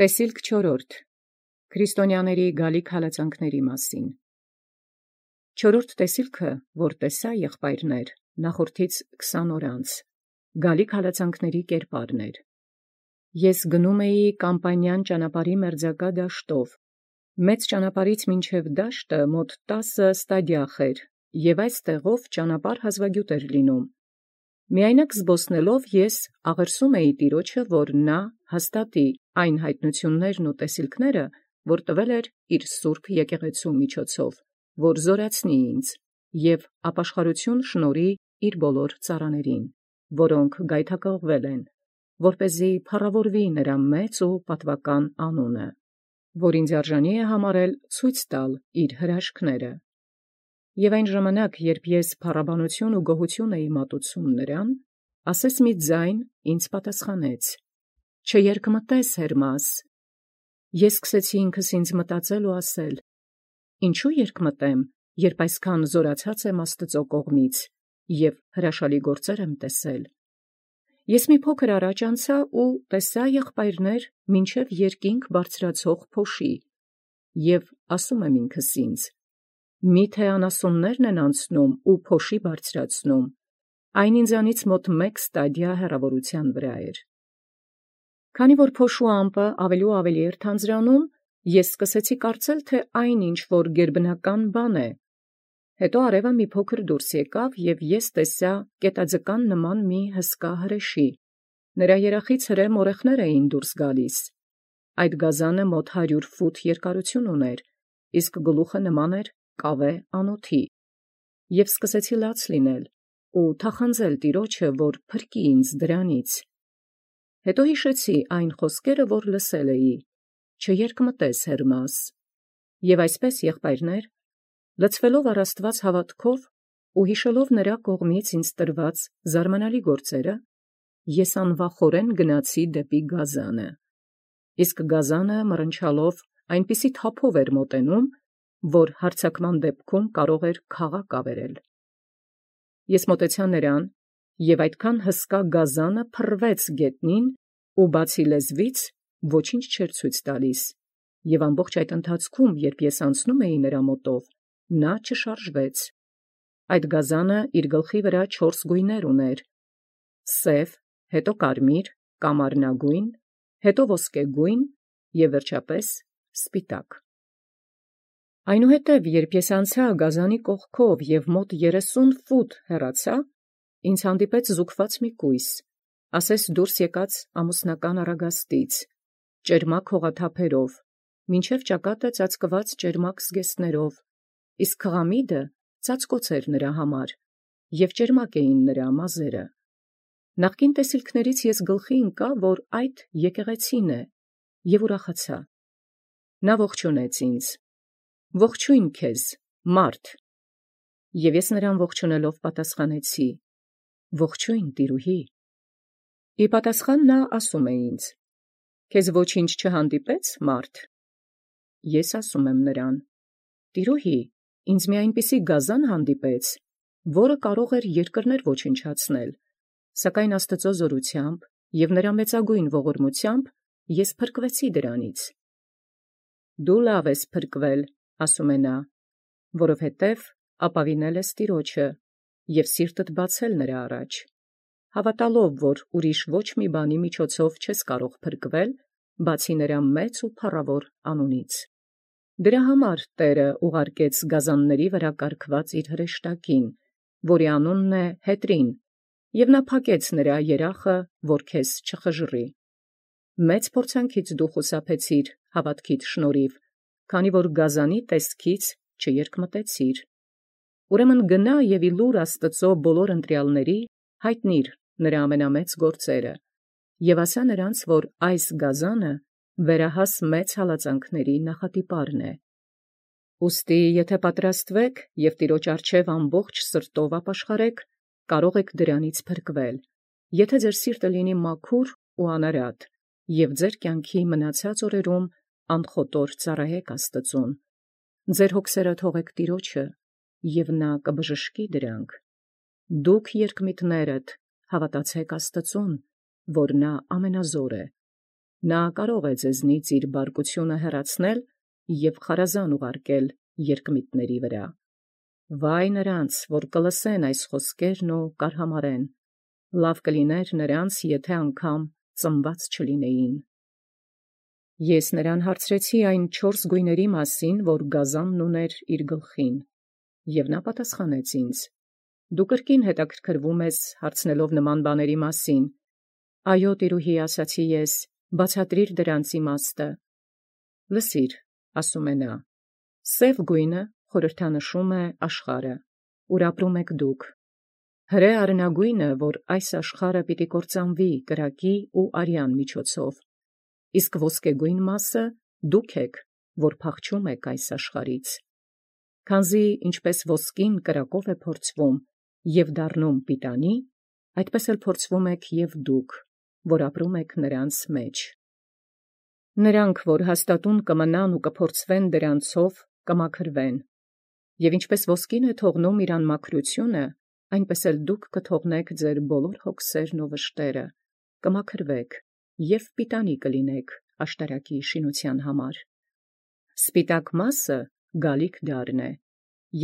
Տեսիլք 4. Քրիստոնյաների գալիք հալածանքների մասին։ Չորրորդ տեսիլքը, որ տեսա եղբայրներ, նախորդից 20 օր անց, գալիք հալածանքների կերպարն էր։ Ես գնում էի Կամպանյան ճանապարհի մերձակա դաշտով, մեծ ճանապարհից մինչև դաշտը մոտ 10 ստադիախ էր, և այս տեղով ճանապարհ հազվագյուտ էր լինում։ Միայնակ զբոսնելով ես աղերսում էի Տիրոջը, որ նա հաստատի այն հայտնություններն ու տեսիլքները, որ տվել էր իր սուրբ եկեղեցու միջոցով, որ զորացնի ինձ և ապաշխարություն շնորհի իր բոլոր ծառաներին, որոնք գայթակղվել են, որպեսզի փառավորվի նրա մեծ ու պատվական անունը, որ ինձ արժանի է համարել ցույց տալ իր հրաշքները։ Եւ այն ժամանակ, երբ ես փառաբանություն ու գոհություն էի մատուցում նրան, ասես մի ձայն ինձ պատասխանեց. «Չերկմտես, Հերմաս»։ Ես սկսեցի ինքս ինձ մտածել ու ասել. «Ինչու երկմտեմ, երբ այսքան զորացած եմ Աստծո կողմից և հրաշալի գործեր եմ տեսել»։ Ես մի փոքր առաջ անցա ու տեսա եղբայրներ մինչև երկինք բարձրացող փոշի, և ասում եմ ինքս ինձ. «Միթե անասուններն են անցնում ու փոշի բարձրացնում»։ Այն ինձանից մոտ 1 ստադիա հեռավորության վրա էր։ Քանի որ փոշու ամպը ավելի ու ավելի էր թանձրանում, ես սկսեցի կարծել, թե այն ինչ որ գերբնական բան է։ Հետո արևը մի փոքր դուրս եկավ, և ես տեսա կետաձկան նման մի հսկա հրեշի։ Նրա երախից հրե մորեխներ էին դուրս գալիս։ Այդ գազանը մոտ 100 ֆուտ երկարություն ուներ, իսկ գլուխը նման էր կավե անոթի։ Եվ սկսեցի լաց լինել ու թախանձել Տիրոջը, որ փրկի ինձ դրանից։ Հետո հիշեցի այն խոսքերը, որ լսել էի. «Չերկմտես, Հերմաս»։ Եվ այսպես, եղբայրներ, լցվելով առ Աստված հավատքով ու հիշելով նրա կողմից ինձ տրված զարմանալի գործերը, ես անվախորեն գնացի դեպի գազանը։ Իսկ գազանը մռնչալով այնպիսի թափով էր մոտենում, որ հարձակման դեպքում կարող էր քաղաք ավերել։ Ես մոտեցա նրան, և այդքան հսկա գազանը փռվեց գետնին ու բացի լեզվից ոչինչ չէր ցույց տալիս, և ամբողջ այդ ընթացքում, երբ ես անցնում էի նրա մոտով, նա չշարժվեց։ Այդ գազանը իր գլխի վրա 4 գույներ ուներ. սև, հետո կարմիր, կամարնագույն, հետո ոսկեգույն և վերջապես սպիտակ։ Այնուհետև, երբ ես անցա գազանի կողքով և մոտ 30 ֆուտ հեռացա, ինձ հանդիպեց զուգված մի կույս, ասես դուրս եկած ամուսնական առագաստից, ճերմակ հողաթափերով, մինչև ճակատը ծածկված ճերմակ զգեստներով, իսկ քղամիդը ծածկոց էր նրա համար, և ճերմակ էին նրա մազերը։ Նախկին տեսիլքներից ես գլխի ընկա, որ այդ եկեղեցին է, և ուրախացա։ Նա ողջունեց ինձ. «Ողջույն քեզ, մարդ»։ Եվ ես նրան ողջունելով պատասխանեցի. «Ողջույն, տիրուհի»։ Ի պատասխան նա ասում է ինձ. «Քեզ ոչինչ չհանդիպե՞ց, մարդ»։ Ես ասում եմ նրան. «Տիրուհի, ինձ մի այնպիսի գազան հանդիպեց, որը կարող էր երկրներ ոչնչացնել, սակայն Աստծո զորությամբ և նրա մեծագույն ողորմությամբ ես փրկվեցի դրանից»։ «Դու լավ ես փրկվել», ասում է նա, «որովհետև ապավինել ես Տիրոջը և սիրտդ բացել նրա առաջ, հավատալով, որ ուրիշ ոչ մի բանի միջոցով չես կարող փրկվել, բացի նրա մեծ ու փառավոր անունից։ Դրա համար Տէրը ուղարկեց գազանների վրա կարգված իր հրեշտակին, որի անունն է Հետրին, և նա փակեց նրա երախը, որ քեզ չխժռի։ Մեծ փորձանքից դու խուսափեցիր հավատքիդ շնորհիվ, քանի որ գազանի տեսքից չերկմտեցիր։ Ուրեմն գնա և իլուր Աստծո բոլոր ընտրյալների հայտնիր նրա ամենամեծ գործերը, և ասա նրանց, որ այս գազանը վերահաս մեծ հալածանքների նախատիպարն է։ Ուստի եթե պատրաստվեք և Տիրոջ առջև ամբողջ սրտով ապաշխարեք, կարող եք դրանից փրկվել, եթե ձեր սիրտը լինի մաքուր ու անարատ, և ձեր կյանքի մնացած օրերում անխոտոր ծառայեք Աստծուն։ Ձեր հոգսերը թողեք Տիրոջը, և նա կբժշկի դրանք։ Դուք երկմիտներդ հավատացեք Աստծուն, որ նա ամենազոր է։ նա կարող է ձեզնից իր բարկությունը հեռացնել և խարազան ուղարկել երկմիտների վրա։ Վայ նրանց, որ կլսեն այս խոսքերն ու կարհամարեն, լավ կլիներ նրանց, եթե անգամ ծնված չլինեին։ Ես նրան հարցրեցի այն 4 գույների մասին, որ գազանն ուներ իր գլխին, և նա պատասխանեց ինձ. «Դու կրկին հետաքրքրվում ես հարցնելով նման բաների մասին։ Այո, տիրուհի, ասացի ես, բացատրիր դրանց իմաստը»։ Լսիր, ասում է նա, սև գույնը խորհրդանշում է աշխարհը, ուր ապրում եք դուք, հրե արնագույնը, որ այս աշխարհը պիտի կործանվի կրակի ու արյան միջոցով, իսկ ոսկեգույն մասը դուք եք, որ փախչում եք այս աշխարհից։ Քանզի ինչպես ոսկին կրակով է փորձվում և դառնում պիտանի, այդպես էլ փորձվում եք և դուք, որ ապրում եք նրանց մեջ։ Նրանք, որ հաստատուն կմնան ու կփորձվեն դրանցով, կմաքրվեն, և ինչպես ոսկին է թողնում իր անմաքրությունը, այնպես էլ դուք կթողնեք ձեր բոլոր հոգսերն ու վշտերը, կմաքրվեք և պիտանի կլինեք աշտարակի շինության համար։ Սպիտակ մասը գալիք դառն է,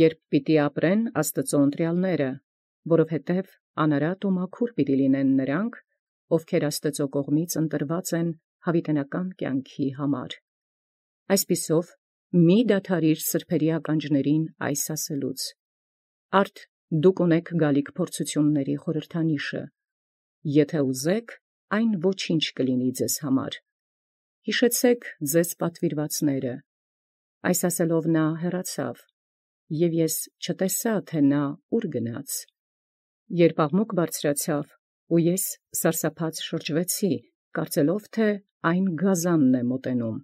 երբ պիտի ապրեն Աստծու ընտրյալները, որովհետև անարատ ու մաքուր պիտի լինեն նրանք, ովքեր Աստծու կողմից ընտրված են հավիտենական կյանքի համար։ Այսպիսով, մի դադարիր սրբերի ականջներին այս ասելուց. արդ դուք ունեք գալիք փորձությունների խորհրդանիշը, եթե ուզեք, այն ոչինչ կլինի ձեզ համար։ Հիշեցեք ձեզ պատվիրվածները։ Այս ասելով նա հեռացավ, և ես չտեսա, թե նա ուր գնաց։ Երբ աղմուկ բարձրացավ, ու ես սարսափած շրջվեցի, կարծելով, թե այն գազանն է մոտենում,